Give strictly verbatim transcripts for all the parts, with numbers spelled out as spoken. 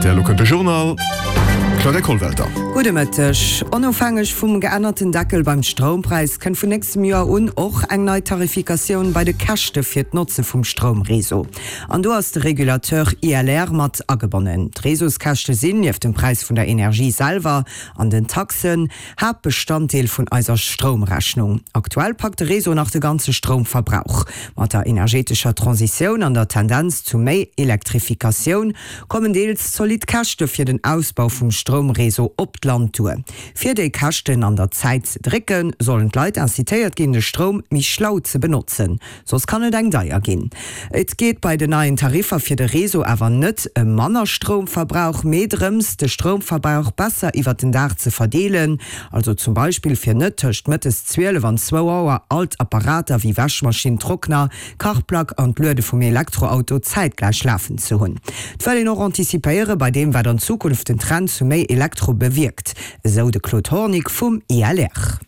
R T L. Elo kënnt de Journal. Claudia Kollwelter. Gudde Mëtteg. Onofhängeg vum geännerten Deckel beim Stroumpräis kënnt vun nächstem Joer un och eng nei Tarifikatioun bei de Käschte fir d'Notze vum Stroumreseau. An do ass de Regulateur I L R mat agebonnen. D'Reseauskäschte sinn, nieft dem Präis vun der Energie selwer an den Taxen, Haaptbestanddeel vun eiser Stroumrechnung. Aktuell packt de Réseau nach de ganze Stroumverbrauch. Mat der energetescher Transitioun an der Tendenz zu méi Elektrifikatioun kommen deels zolidd Käschte fir den Ausbau vum Stroumreseau op d'Land duer. Fir déi Käschten an der Zäit ze drécken, sollen d'Leit incitéiert ginn, de Stroum méi schlau ze benotzen, soss kann et eng deier ginn. Et geet bei den neien Tariffer fir de Réseau awer net ëm manner Stroumverbrauch, mee drëms, de Stroumverbrauch besser iwwert den Dag ze verdeelen, also zum Beispill fir net tëscht mëttes zwielef an zwou Auer all d'Apparater wéi Wäschmaschinn, Trockner, Kachplack an d'Luede vum Elektroauto zäitgläich lafen ze hunn. Et wëll een och antizipéiere bei deem, wat an Zukunft den Trend zu méi Elektro bewierkt, esou de Claude Hornick vum I L R.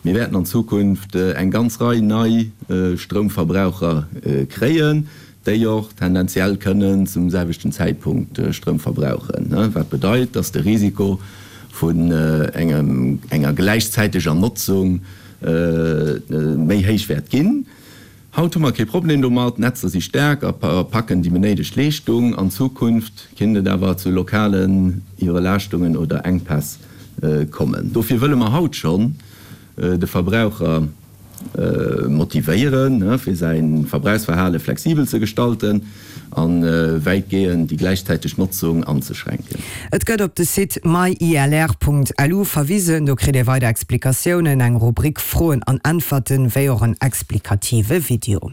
Mir wäerten an Zukunft eng ganz Rei nei Stroumverbraucher kréien, déi och tendenziell kënnen zum selwechten Zäitpunkt Stroum verbrauchen, wat bedeit, dass de Risiko vun enger gläichzäiteger Notzung méi héich wäert ginn. Haut hu mer kee Problem domat, d'Netzer si staark a packen déi benéidegt Leeschtung. An Zukunft kinnt et awer zu lokalen Iwwerlaaschtungen oder Enkpäss kommen. Dofir wëlle mer haut schonn de Verbraucher motivéieren, fir säi Verbrauchsverhale flexibel ze gestalten a wäitgehend déi gläichzäiteg Notzung anzeschränken. Et gëtt op de Site myilr Punkt L U verwisen, do kritt Dir weider Explikatiounen, eng Rubrik Froen an Äntwerten, wéi och en explikative Video.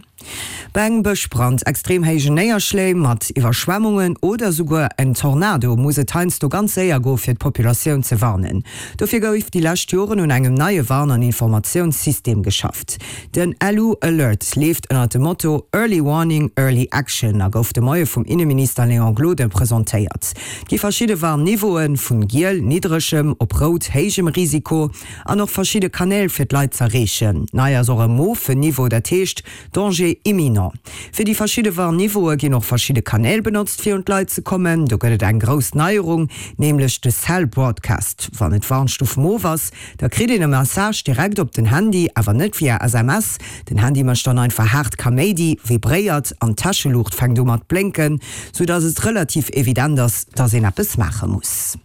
Bei engem Bëschbrand, extrem héijen Néierschléi mat Iwwerschwemmungen oder souguer en Tornado muss et heiansdo ganz séier goe fir d'Populatioun ze warnen. Dofir gouf déi lescht Joren un engem neie Warn an Informatiounssystem geschafft. Den L U Alert leeft ënner dem Motto Early Warning, Early Action a gouf de Moie vum Inneminister Léon Gloden presentéiert. Et gi verschidde Warnniveauen, vun giel, niddregem, op rout, héijem Risiko, an och verschidde Kanäl fir d'Leit z'erreechen. Nei ass och e mofen Niveau, dat heescht Danger imminent. Fir déi verschidde Warnniveaue ginn och verschidde Kanäl benotzt fir un d'Leit ze kommen. Do gëtt et eng grouss Neierung, nämlech de Cell Broadcast. Wann et Warnstuf mof ass, da kritt een e Message direkt op den Handy, awer net via S M S. Den Handy mécht dann einfach haart Kaméidi, vibréiert an d'Täscheluucht fänkt u mat blénken, sou dass et relativ evident ass, dass een eppes maache muss.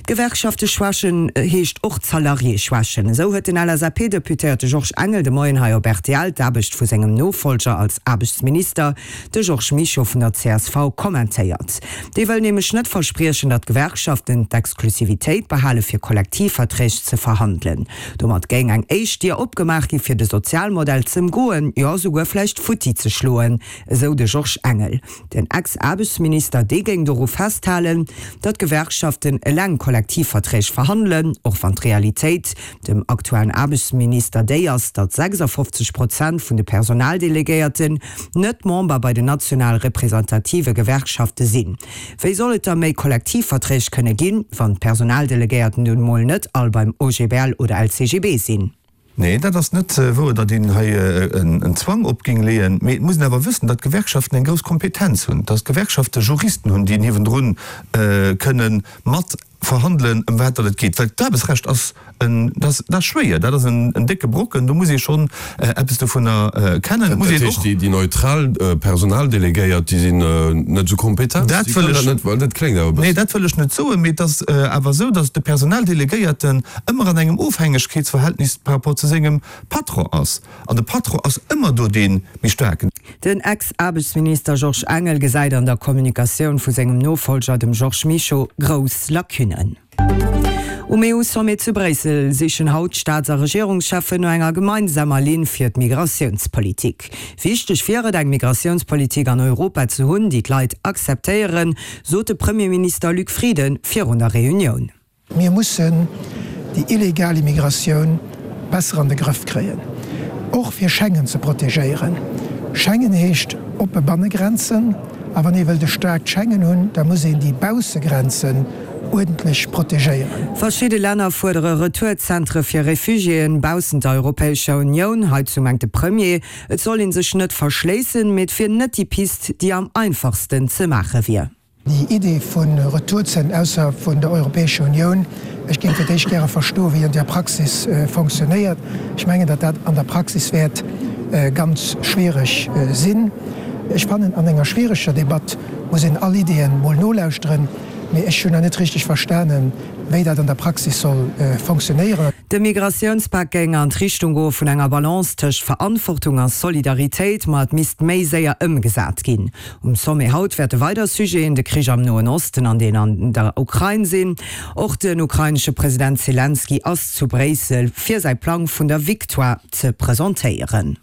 D'Gewerkschafte schwächen heescht och d'Salariéë schwächen. Esou huet den L S A P-Deputéierte Georges Engel de Moien hei op R T L d'Aarbecht vu sengem Nofollger als Aarbechtsminister, de Georges Mischo vun der C S V, kommentéiert. Dee wëll nämlech net verspriechen, datt d'Gewerkschaften d'Exklusivitéit behale fir Kollektivverträg ze verhandelen. Domat géing eng éischt Dier opgemaach gi fir de Sozialmodell z'ëmgoen, jo souguer vläicht futti ze schloen, esou de Georges Engel. Den Ex-Aarbechtsminister dee géing doru festhalen, datt d'Gewerkschaften eleng Kollektivverträg verhandelen, och wann d'Realitéit dem aktuellen Aarbechtsminister déi ass, datt sechsafofzeg Prozent vun de Personaldelegéierten net Member bei den national representative Gewerkschafte sinn. Wéi soll et da méi Kollektivverträg kënne ginn, wann d'Personaldelegéierten nun emol net all beim O G B L oder L C G B sinn? Nee, dat ass net wouer, datt een hei en Zwang op géing leeën. Mee et muss een awer wëssen, datt d'Gewerkschaften eng grouss Kompetenz hunn, datt d'Gewerkschafte Juristen hunn, déi niewendrun kënne mat verhandelen, ëm wat datt et geet. Well d'Aarbechtsrecht ass en, dat ass schwéier, dat ass en décke Brocken, do muss ee schonn eppes dovunner kennen. Dat heescht, déi neutral Personaldelegéiert, déi sinn net esou kompetent? Dat wëll ech net, well dat kléngt awer e bëssen. Nee, dat wëll ech net soen, mee et ass awer esou, datt de Personaldelegéierten ëmmer an engem Ofhängegkeetsverhältnis par rapport zu sengem Patron ass. An de Patron ass ëmmer do dee méi Staarken. Den Ex-Aarbechtsminister Georges Engel gesäit an der Kommunikatioun vu sengem Nofollger, dem Georges Mischo, grouss Lacunnen. Um E U-Sommet zu Bréissel sichen haut d'Staats a Regierungscheffen no enger gemeinsamer Linn fir d'Migratiounspolitik. Wichteg wier et, eng Migratiounspolitik an Europa ze hunn, déi d'Leit akzeptéieren, sot de Premierminister Luc Frieden virun der Reunioun. Mir mussen déi illegal Immigratioun besser an de Grëff kréien, och fir Schengen ze protegéieren. Schengen heescht oppe Bannegrenzen, a wann ee wëllt e staarkt Schengen hunn, da muss een déi Baussegrenzen uerdentlech protegéieren. Verschidde Länner fuerdere Retourzentre fir Refugiéen baussent der Europäescher Unioun. Heizou mengt de Premier, et soll ee sech net verschléissen, mee et wier net déi Pist, déi am einfachsten ze maache wier. Déi Idee vu Retourzen ausserhalb vun der Europäescher Unioun, ech géing fir d'éischt gäre verstoen, wéi an der Praxis fonctionnéiert. Ech mengen, datt dat an der Praxis wäert ganz schwiereg sinn. Ech fannen, an enger schwiereger Debatt muss een all Ideeën mol nolauschteren, mee ech hunn nach net richteg verstanen, wéi dat an der Praxis soll fonctionnéieren. De Migratiounspak géing an d'Richtung goe vun enger Balance tëscht Verantwortung a Solidaritéit, ma et misst méi séier ëmgesat ginn. Um Sommet haut wäerte weider Sujeten de Krich am Noen Osten an deen an der Ukrain sinn. Och den ukrainesche President Selenskyj ass zu Bréissel, fir säi Plang vun der Victoire ze presentéieren.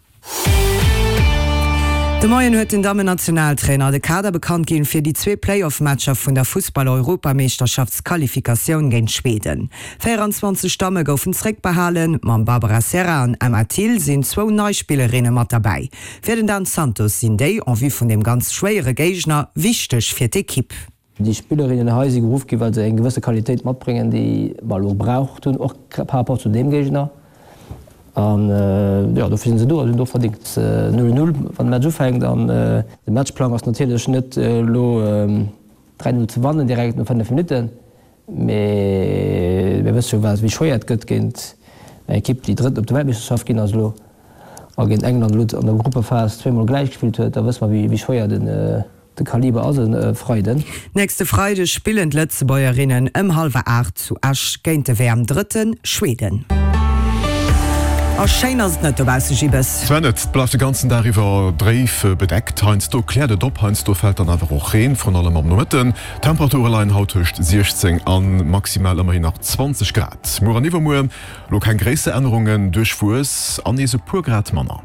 De Moien huet den Dammen-Nationaltrainer de Kader bekannt ginn fir déi zwee Play-off-Matcher vun der Fussball-Europameeschterschaftsqualifikatioun géint Schweden. véieranzwanzeg Damme goufen zeréckbehalen, mam Barbara Serra an Emma Thill sinn zwou nei Spillerinne mat derbäi. Fir den Dan Santos sinn déi, en vue vun deem ganz schwéiere Géigner, wichteg fir d'Ekipp. Déi Spillerinnen hei si geruff ginn, well se eng gewësse Qualitéit matbréngen, déi mer elo gebraucht hunn, och par rapport zu deem Géigner. An jo, dofir sinn se do a se hunn et och verdéngt. Null Null, wann de Match ufänkt. An de Matchplang ass natierlech net elo dräi Null ze wannen direkt no fënnef Minutten, mee mir wësse jo wéi schwéier et gëtt géint eng Ekipp, déi Drëtt op der Weltmeeschterschaft ginn ass elo a géint England elo an der Gruppephas zweemol gläich gespillt huet. Da wësse mer wéi schwéier den De Kaliber ass e Freiden. Nächste Freideg spillen d'Lëtzebuergerinnen ëm hallwer aacht zu Esch géint de W M-Drëtte Schweden. A schéin ass et net dobausse, Gibbes. Zwar net, et bleift de ganzen Dag iwwer dréif bedeckt. Heiansdo kläert et op, heiansdo fält dann awer och Reen, vrun allem am Nomëtten. D'Temperature leien haut tëscht siechzéng a maximal ëmmerhin nach zwanzeg Grad. Muer an iwwermuer elo keng gréisser Ännerungen, duerchwuess an nees e puer Grad manner.